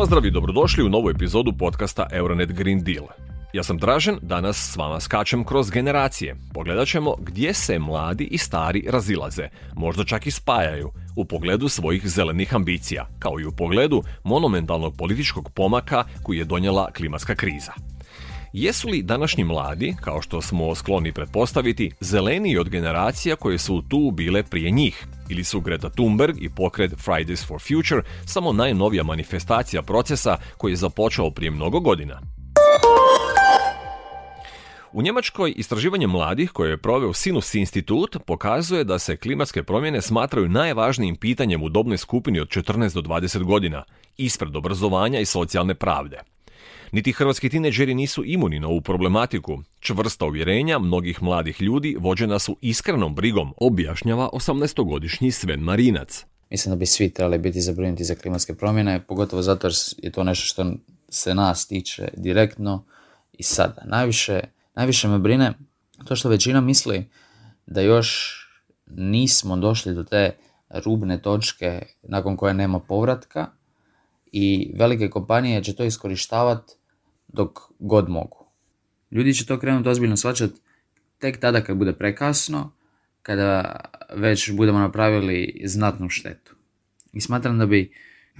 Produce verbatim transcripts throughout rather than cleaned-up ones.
Pozdrav i dobrodošli u novu epizodu podcasta Euronet Green Deal. Ja sam Dražen, danas s vama skačem kroz generacije. Pogledat ćemo gdje se mladi i stari razilaze, možda čak i spajaju, u pogledu svojih zelenih ambicija, kao i u pogledu monumentalnog političkog pomaka koji je donijela klimatska kriza. Jesu li današnji mladi, kao što smo skloni pretpostaviti, zeleniji od generacija koje su tu bile prije njih? Ili su Greta Thunberg i pokret Fridays for Future samo najnovija manifestacija procesa koji je započeo prije mnogo godina? U Njemačkoj istraživanje mladih koje je proveo Sinus institut pokazuje da se klimatske promjene smatraju najvažnijim pitanjem u dobnoj skupini od četrnaest do dvadeset godina, ispred obrazovanja i socijalne pravde. Niti hrvatski tineđeri nisu imuni na ovu problematiku. Čvrsta uvjerenja mnogih mladih ljudi vođena su iskrenom brigom, objašnjava osamnaestogodišnji Sven Marinac. Mislim da bi svi trebali biti zabrinuti za klimatske promjene, pogotovo zato jer je to nešto što se nas tiče direktno i sada. Najviše, najviše me brine to što većina misli da još nismo došli do te rubne točke nakon koje nema povratka i velike kompanije će to iskorištavati dok god mogu. Ljudi će to krenuti ozbiljno shvaćati tek tada kad bude prekasno, kada već budemo napravili znatnu štetu. I smatram da bi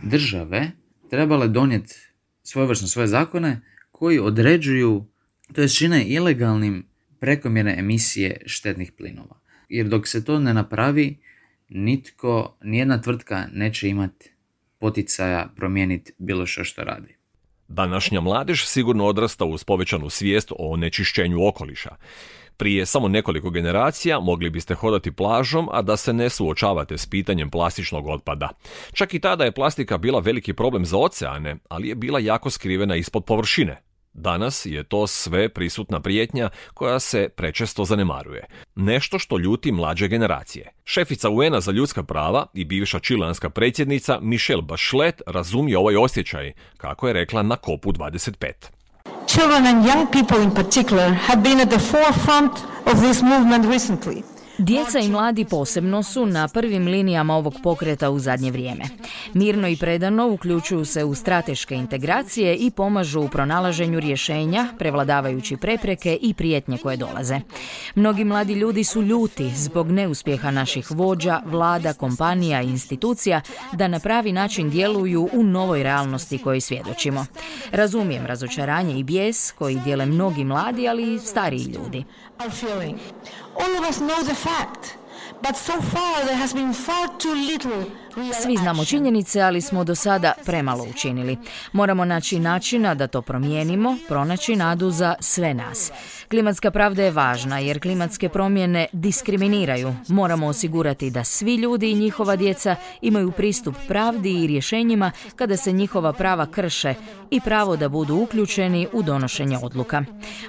države trebale donijeti svojevrsno svoje zakone koji određuju, to jest čine ilegalnim prekomjerne emisije štetnih plinova. Jer dok se to ne napravi, nitko, nijedna tvrtka neće imati poticaja promijeniti bilo što što radi. Današnja mladež sigurno odrasta uz povećanu svijest o onečišćenju okoliša. Prije samo nekoliko generacija mogli biste hodati plažom, a da se ne suočavate s pitanjem plastičnog otpada. Čak i tada je plastika bila veliki problem za oceane, ali je bila jako skrivena ispod površine. Danas je to sve prisutna prijetnja koja se prečesto zanemaruje. Nešto što ljuti mlađe generacije. Šefica U N-a za ljudska prava i bivša čileanska predsjednica Michelle Bachelet razumije ovaj osjećaj, kako je rekla na kopu dvadeset pet. Children and young people in particular have been at the forefront of this movement recently. Djeca i mladi posebno su na prvim linijama ovog pokreta u zadnje vrijeme. Mirno i predano uključuju se u strateške integracije i pomažu u pronalaženju rješenja, prevladavajući prepreke i prijetnje koje dolaze. Mnogi mladi ljudi su ljuti zbog neuspjeha naših vođa, vlada, kompanija i institucija da na pravi način djeluju u novoj realnosti kojoj svjedočimo. Razumijem razočaranje i bijes koji dijele mnogi mladi, ali i stariji ljudi. All of us know the fact, but so far there has been far too little. Svi znamo činjenice, ali smo do sada premalo učinili. Moramo naći načina da to promijenimo, pronaći nadu za sve nas. Klimatska pravda je važna jer klimatske promjene diskriminiraju. Moramo osigurati da svi ljudi i njihova djeca imaju pristup pravdi i rješenjima kada se njihova prava krše i pravo da budu uključeni u donošenje odluka.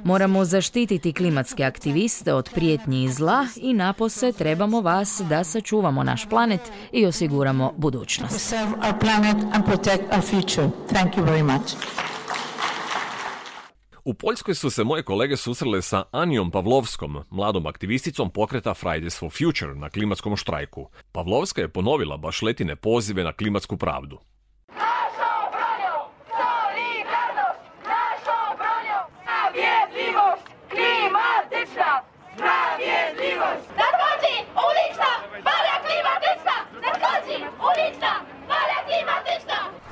Moramo zaštititi klimatske aktiviste od prijetnji i zla i napose trebamo vas da sačuvamo naš planet i osiguramo budućnost. U Poljskoj su se moje kolege susrele sa Anijom Pavlovskom, mladom aktivisticom pokreta Fridays for Future na klimatskom štrajku. Pavlovska je ponovila Bacheletine pozive na klimatsku pravdu.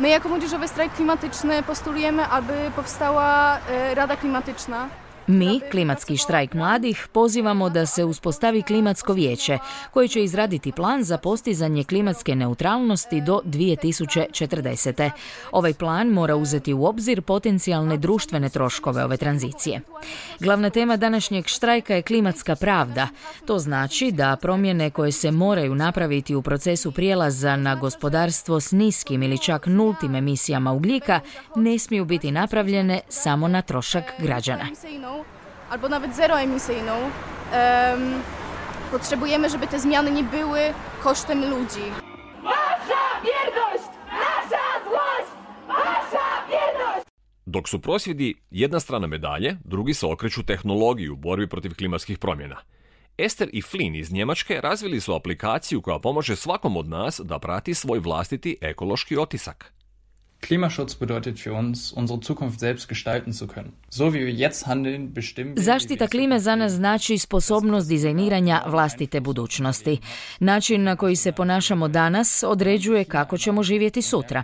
My jako Młodzieżowy Strajk Klimatyczny postulujemy, aby powstała Rada Klimatyczna. Mi, Klimatski štrajk mladih, pozivamo da se uspostavi klimatsko vijeće koje će izraditi plan za postizanje klimatske neutralnosti do dvije tisuće četrdesete. Ovaj plan mora uzeti u obzir potencijalne društvene troškove ove tranzicije. Glavna tema današnjeg štrajka je klimatska pravda. To znači da promjene koje se moraju napraviti u procesu prijelaza na gospodarstvo s niskim ili čak nultim emisijama ugljika ne smiju biti napravljene samo na trošak građana. Albo nawet zeroemisyjną, um, potrzebujemy, żeby te zmiany nie były kosztem ludzi. Wasza wierność! Nasza złość! Wasza wierność! Dok su prosvjedi jedna strana medalje, drugi se okreću tehnologiji u borbi protiv klimatskih promjena. Ester i Flynn iz Njemačke razvili su aplikaciju koja pomože svakom od nas da prati svoj vlastiti ekološki otisak. Klimaschutz bedeutet für uns, unsere Zukunft selbst gestalten zu können. So wie wir jetzt handeln, bestimmen wir... Zaštita klime za nas znači sposobnost dizajniranja vlastite budućnosti. Način na koji se ponašamo danas određuje kako ćemo živjeti sutra.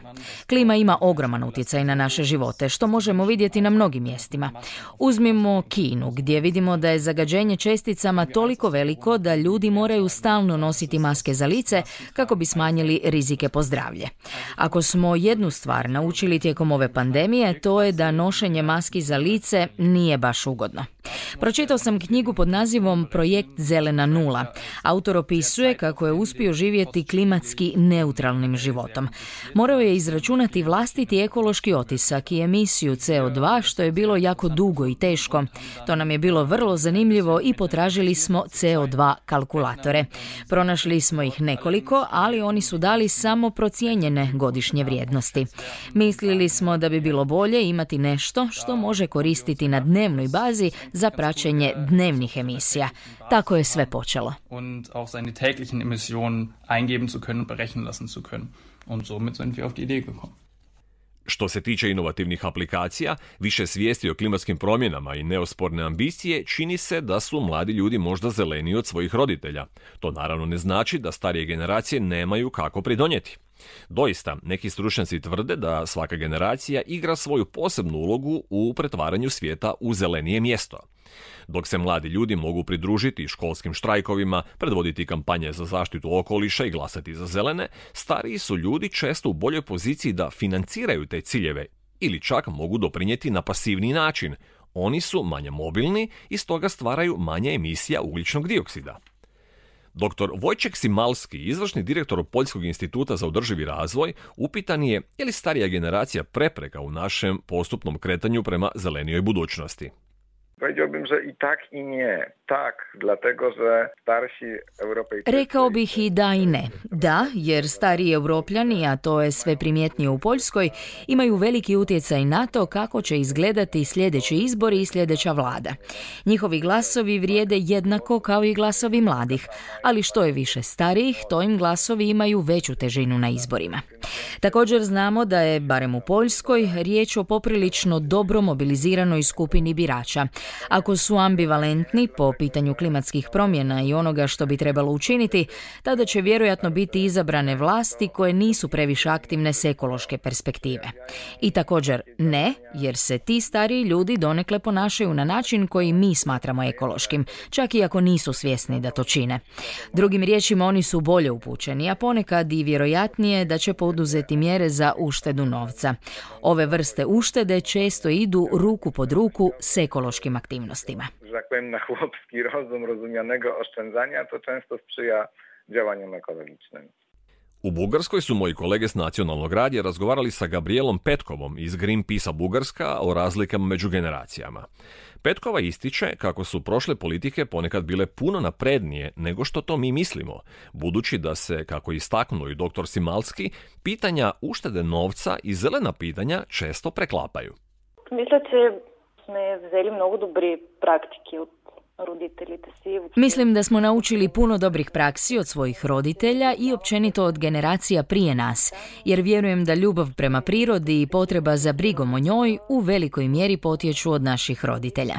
Klima ima ogroman utjecaj na naše živote, što možemo vidjeti na mnogim mjestima. Uzmimo Kinu, gdje vidimo da je zagađenje česticama toliko veliko da ljudi moraju stalno nositi maske za lice kako bi smanjili rizike po zdravlje. Ako smo jednu stvar naučili tijekom ove pandemije, to je da nošenje maski za lice nije baš ugodno. Pročitao sam knjigu pod nazivom Projekt Zelena nula. Autor opisuje kako je uspio živjeti klimatski neutralnim životom. Morao je izračunati vlastiti ekološki otisak i emisiju C O dva, što je bilo jako dugo i teško. To nam je bilo vrlo zanimljivo i potražili smo C O dva kalkulatore. Pronašli smo ih nekoliko, ali oni su dali samo procijenjene godišnje vrijednosti. Mislili smo da bi bilo bolje imati nešto što može koristiti na dnevnoj bazi za praćenje dnevnih emisija. Tako je sve počelo. Und auch seine täglichen Emissionen eingeben zu können und berechnen lassen zu können. Und somit sind wir auf die Idee gekommen. Što se tiče inovativnih aplikacija, više svijesti o klimatskim promjenama i neosporne ambicije, čini se da su mladi ljudi možda zeleniji od svojih roditelja. To naravno ne znači da starije generacije nemaju kako pridonijeti. Doista, neki stručnjaci tvrde da svaka generacija igra svoju posebnu ulogu u pretvaranju svijeta u zelenije mjesto. Dok se mladi ljudi mogu pridružiti školskim štrajkovima, predvoditi kampanje za zaštitu okoliša i glasati za zelene, stariji su ljudi često u boljoj poziciji da financiraju te ciljeve ili čak mogu doprinijeti na pasivni način. Oni su manje mobilni i stoga stvaraju manje emisija ugljičnog dioksida. Doktor Wojciech Simalski, izvršni direktor Poljskog instituta za održivi razvoj, upitan je je li starija generacija prepreka u našem postupnom kretanju prema zelenijoj budućnosti. Powiedziałbym, że i tak i nie. Tak, dlatego, że starsi Europejczycy... Rekao bih i da i ne. Da, jer stariji Europljani, a to je sve primjetnije u Poljskoj, imaju veliki utjecaj na to kako će izgledati sljedeći izbori i sljedeća vlada. Njihovi glasovi vrijede jednako kao i glasovi mladih, ali što je više starijih, to im glasovi imaju veću težinu na izborima. Također znamo da je, barem u Poljskoj, riječ o poprilično dobro mobiliziranoj skupini birača. Ako su ambivalentni po pitanju klimatskih promjena i onoga što bi trebalo učiniti, tada će vjerojatno biti izabrane vlasti koje nisu previše aktivne s ekološke perspektive. I također ne, jer se ti stariji ljudi donekle ponašaju na način koji mi smatramo ekološkim, čak i ako nisu svjesni da to čine. Drugim riječima, oni su bolje upućeni, a ponekad i vjerojatnije da će poduzeti mjere za uštedu novca. Ove vrste uštede često idu ruku pod ruku s ekološkim aktivnostima. Że tak powiem, na chłopski rozum rozumianego oszczędzania, to często sprzyja działaniom ekologicznym. U Bugarskoj su moji kolege s Nacionalnog radija razgovarali sa Gabrielom Petkovom iz Greenpeace-a Bugarska o razlikama među generacijama. Petkova ističe kako su prošle politike ponekad bile puno naprednije nego što to mi mislimo, budući da se, kako istaknuo i doktor Simalski, pitanja uštede novca i zelena pitanja često preklapaju. Mislim da smo vzeli mnogo dobri praktike od roditeljite si. Mislim da smo naučili puno dobrih praksi od svojih roditelja i općenito od generacija prije nas, jer vjerujem da ljubav prema prirodi i potreba za brigom o njoj u velikoj mjeri potječu od naših roditelja.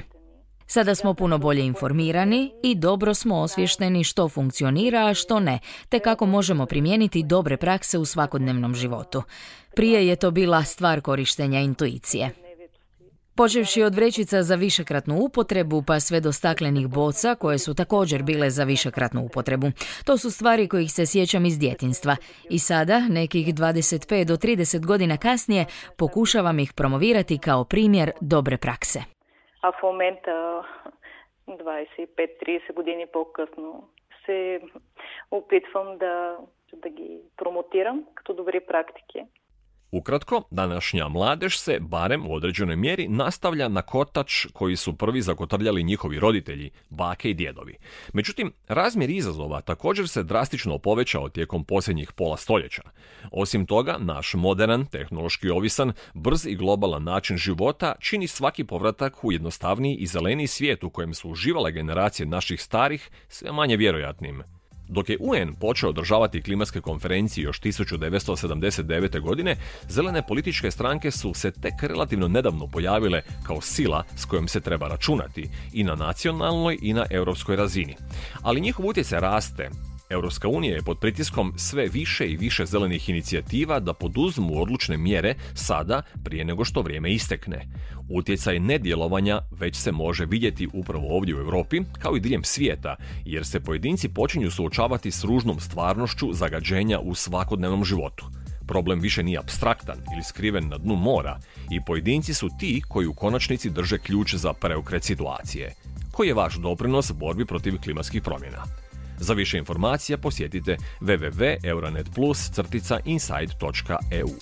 Sada smo puno bolje informirani i dobro smo osviješteni što funkcionira, a što ne, te kako možemo primijeniti dobre prakse u svakodnevnom životu. Prije je to bila stvar korištenja intuicije. Počevši od vrećica za višekratnu upotrebu pa sve do staklenih boca koje su također bile za višekratnu upotrebu. To su stvari kojih se sjećam iz djetinjstva i sada, nekih dvadeset pet do trideset godina kasnije, pokušavam ih promovirati kao primjer dobre prakse. A v momenta dvadeset pet do trideset godini po-kasno se upitvam da, da gi promotiram като dobri praktike. Ukratko, današnja mladež se, barem u određenoj mjeri, nastavlja na kotač koji su prvi zakotrljali njihovi roditelji, bake i djedovi. Međutim, razmjer izazova također se drastično povećao tijekom posljednjih pola stoljeća. Osim toga, naš modern, tehnološki ovisan, brz i globalan način života čini svaki povratak u jednostavniji i zeleniji svijet u kojem su uživale generacije naših starih sve manje vjerojatnim. Dok je U N počeo održavati klimatske konferencije još tisuću devetsto sedamdeset devete. godine, zelene političke stranke su se tek relativno nedavno pojavile kao sila s kojom se treba računati i na nacionalnoj i na europskoj razini. Ali njihov utjecaj raste. Europska unija je pod pritiskom sve više i više zelenih inicijativa da poduzmu odlučne mjere sada prije nego što vrijeme istekne. Utjecaj nedjelovanja već se može vidjeti upravo ovdje u Europi, kao i diljem svijeta, jer se pojedinci počinju suočavati s ružnom stvarnošću zagađenja u svakodnevnom životu. Problem više nije apstraktan ili skriven na dnu mora i pojedinci su ti koji u konačnici drže ključ za preokret situacije. Koji je vaš doprinos borbi protiv klimatskih promjena? Za više informacija posjetite w w w točka euronet plus crtica inside točka e u.